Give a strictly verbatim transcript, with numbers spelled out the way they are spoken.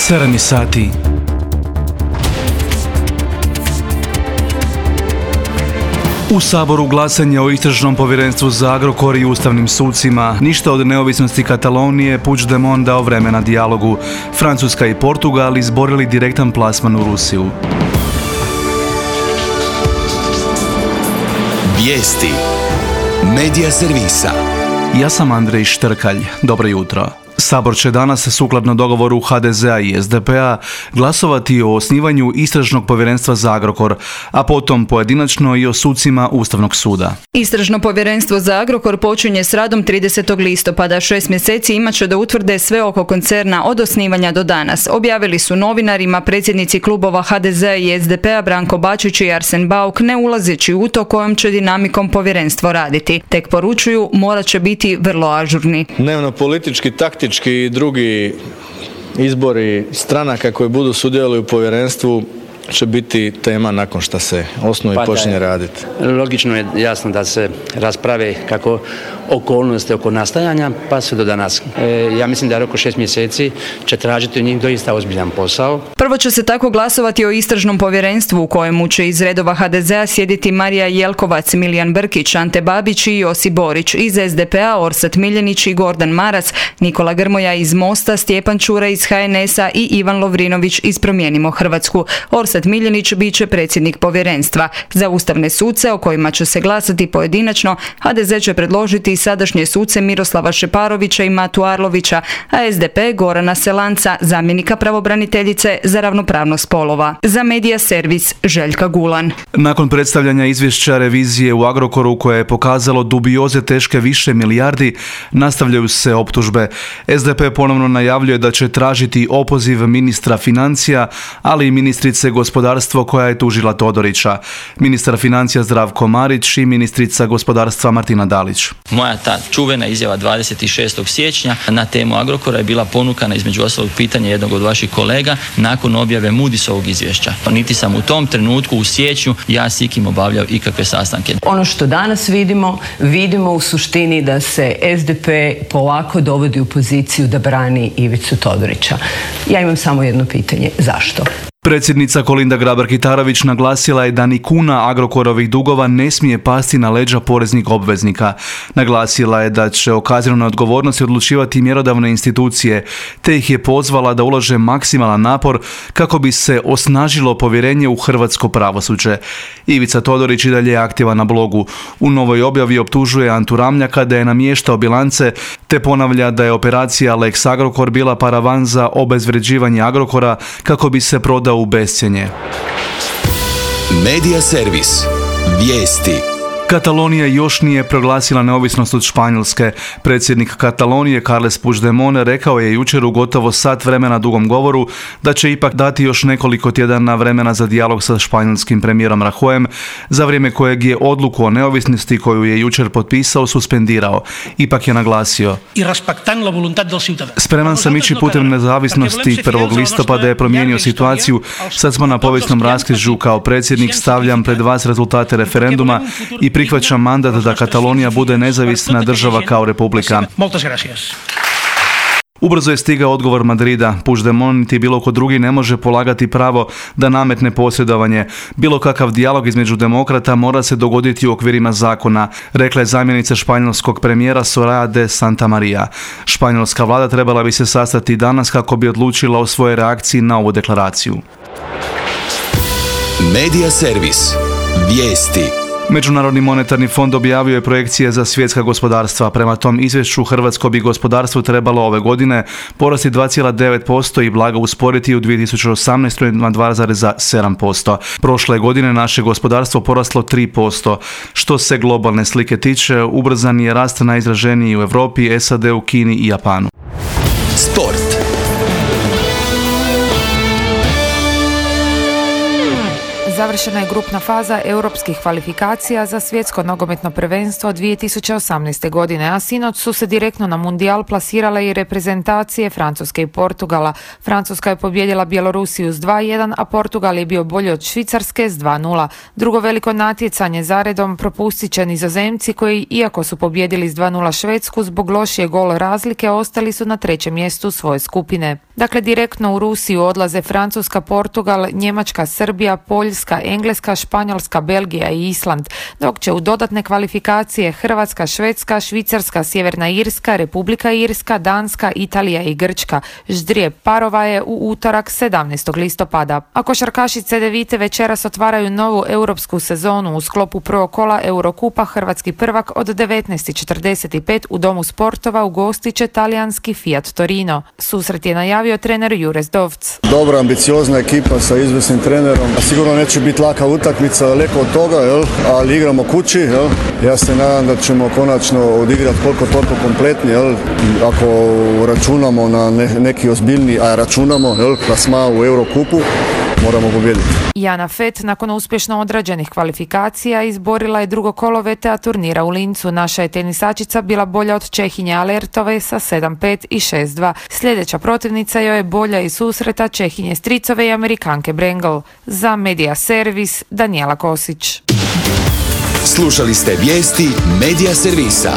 sedam sati. U Saboru glasanje o istražnom povjerenstvu za Agrokor i ustavnim sucima. Ništa od neovisnosti Katalonije, Puigdemont dao vremena dijalogu. Francuska i Portugal izborili direktan plasman u Rusiju. Vijesti Medija servisa. Ja sam Andrej Štrkalj. Dobro jutro. Sabor će danas, sukladno dogovoru ha de zea i es de pe a, glasovati o osnivanju istražnog povjerenstva za Agrokor, a potom pojedinačno i o sucima Ustavnog suda. Istražno povjerenstvo za Agrokor počinje s radom tridesetog listopada. Šest mjeseci imat će da utvrde sve oko koncerna od osnivanja do danas. Objavili su novinarima predsjednici klubova ha de zea i es de pe a Branko Bačić i Arsen Bauk, ne ulazeći u to kojom će dinamikom povjerenstvo raditi. Tek poručuju, morat će biti vrlo ažurni. Dnevno politički, taktički i drugi izbori stranaka koji budu sudjelovali u povjerenstvu će biti tema nakon što se osnuje i počinje raditi. Logično je, jasno, da se rasprave kako okolnosti oko nastajanja pa sve do danas. E, ja mislim da oko šest mjeseci će tražiti od njih doista ozbiljan posao. Prvo će se tako glasovati o istražnom povjerenstvu u kojemu će iz redova ha de zea sjediti Marija Jelkovac, Milijan Brkić, Ante Babić i Josip Borić. Iz es de pe a Orsat Miljenić i Gordan Maras, Nikola Grmoja iz Mosta, Stjepan Čuraj iz ha en es a i Ivan Lovrinović iz Promijenimo Hrvatsku. Orsat Miljenić bit će predsjednik povjerenstva. Za ustavne suce o kojima će se glasati pojedinačno, ha de zea će predložiti sadašnje suce Miroslava Šeparovića i Matu Arlovića, a es de pe Gorana Selanca, zamjenika pravobraniteljice za ravnopravnost spolova. Za Medija servis Željka Gulan. Nakon predstavljanja izvješća revizije u Agrokoru koje je pokazalo dubioze teške više milijardi, nastavljaju se optužbe. es de pe ponovno najavljuje da će tražiti opoziv ministra financija, ali i ministrice gospodarstva koja je tužila Todorića, ministar financija Zdravko Marić i ministrica gospodarstva Martina Dalić. Moja ta čuvena izjava dvadeset šestog siječnja na temu Agrokora je bila ponukana između ostalog pitanja jednog od vaših kolega nakon objave Moody'sovog izvješća. Niti sam u tom trenutku u siječnju ja s ikim obavljao ikakve sastanke. Ono što danas vidimo, vidimo u suštini da se es de pe polako dovodi u poziciju da brani Ivicu Todorića. Ja imam samo jedno pitanje. Zašto? Predsjednica Kolinda Grabar-Kitarović naglasila je da ni kuna Agrokorovih dugova ne smije pasti na leđa poreznih obveznika. Naglasila je da će o kaznenoj odgovornosti odlučivati mjerodavne institucije, te ih je pozvala da ulože maksimalan napor kako bi se osnažilo povjerenje u hrvatsko pravosuđe. Ivica Todorić i dalje je aktivan na blogu. U novoj objavi optužuje Antu Ramljaka da je namještao bilance, te ponavlja da je operacija Lex Agrokor bila paravan za obezvređivanje Agrokora kako bi se prodao u bescjenje. Medija servis. Vijesti. Katalonija još nije proglasila neovisnost od Španjolske. Predsjednik Katalonije Carles Puigdemont rekao je jučer u gotovo sat vremena dugom govoru da će ipak dati još nekoliko tjedana vremena za dijalog sa španjolskim premijerom Rajoyem, za vrijeme kojeg je odluku o neovisnosti koju je jučer potpisao suspendirao. Ipak je naglasio: spreman sam ići putem nezavisnosti. prvog listopada je promijenio situaciju. Sad smo na povijesnom raskrižju. Kao predsjednik stavljam pred vas rezultate referenduma i prihvaćam mandat da Katalonija bude nezavisna država kao republika. Ubrzo je stigao odgovor Madrida. Puigdemont niti bilo ko drugi ne može polagati pravo da nametne posredovanje. Bilo kakav dijalog između demokrata mora se dogoditi u okvirima zakona, rekla je zamjenica španjolskog premijera Soraya de Santamaría. Španjolska vlada trebala bi se sastati danas kako bi odlučila o svojoj reakciji na ovu deklaraciju. Medija servis. Vijesti. Međunarodni monetarni fond objavio je projekcije za svjetska gospodarstva. Prema tom izvješću hrvatsko bi gospodarstvo trebalo ove godine porasti dva zarez devet posto i blago usporiti u dvije tisuće osamnaestoj na dva zarez sedam posto. Prošle godine naše gospodarstvo poraslo tri posto. Što se globalne slike tiče, ubrzan je rast najizraženiji u Europi, es a de u, Kini i Japanu. Sport. Završena je grupna faza europskih kvalifikacija za svjetsko nogometno prvenstvo dvije tisuće osamnaeste. godine, a sinoć su se direktno na mundijal plasirale i reprezentacije Francuske i Portugala. Francuska je pobijedila Bjelorusiju s dva jedan, a Portugal je bio bolji od Švicarske s dva nula. Drugo veliko natjecanje zaredom propustit će Nizozemci koji, iako su pobijedili s dva nula Švedsku, zbog lošije gol razlike ostali su na trećem mjestu svoje skupine. Dakle, direktno u Rusiju odlaze Francuska, Portugal, Njemačka, Srbija, Poljska, Engleska, Španjolska, Belgija i Island, dok će u dodatne kvalifikacije Hrvatska, Švedska, Švicarska, Sjeverna Irska, Republika Irska, Danska, Italija i Grčka. Ždrijeb parova je u utorak sedamnaestog listopada. A košarkaši Cedevite večeras otvaraju novu europsku sezonu u sklopu prvog kola Eurokupa. Hrvatski prvak od devetnaest i četrdeset pet u Domu sportova ugostit će talijanski Fiat Torino. Susret je najavio trener Jure Zdovc. Dobra, ambiciozna ekipa sa izvrsnim trenerom. Sigurno neće biti laka utakmica, daleko od toga, jel? Ali igramo kući. Jel? Ja se nadam da ćemo konačno odigrati koliko toliko kompletni. Jel? Ako računamo na ne, neki ozbiljni, a računamo jel? Plasma u Eurokupu, moramo pobijediti. Jana Fet nakon uspješno odrađenih kvalifikacija izborila je drugo kolo V T A turnira u Lincu. Naša je tenisačica bila bolja od Čehinje Alertove sa sedam pet i šest dva. Sljedeća protivnica joj je bolja iz susreta Čehinje Stricove i Amerikanke Brengel. Za Medija Servis Danijela Kosić. Slušali ste vijesti Medija Servisa.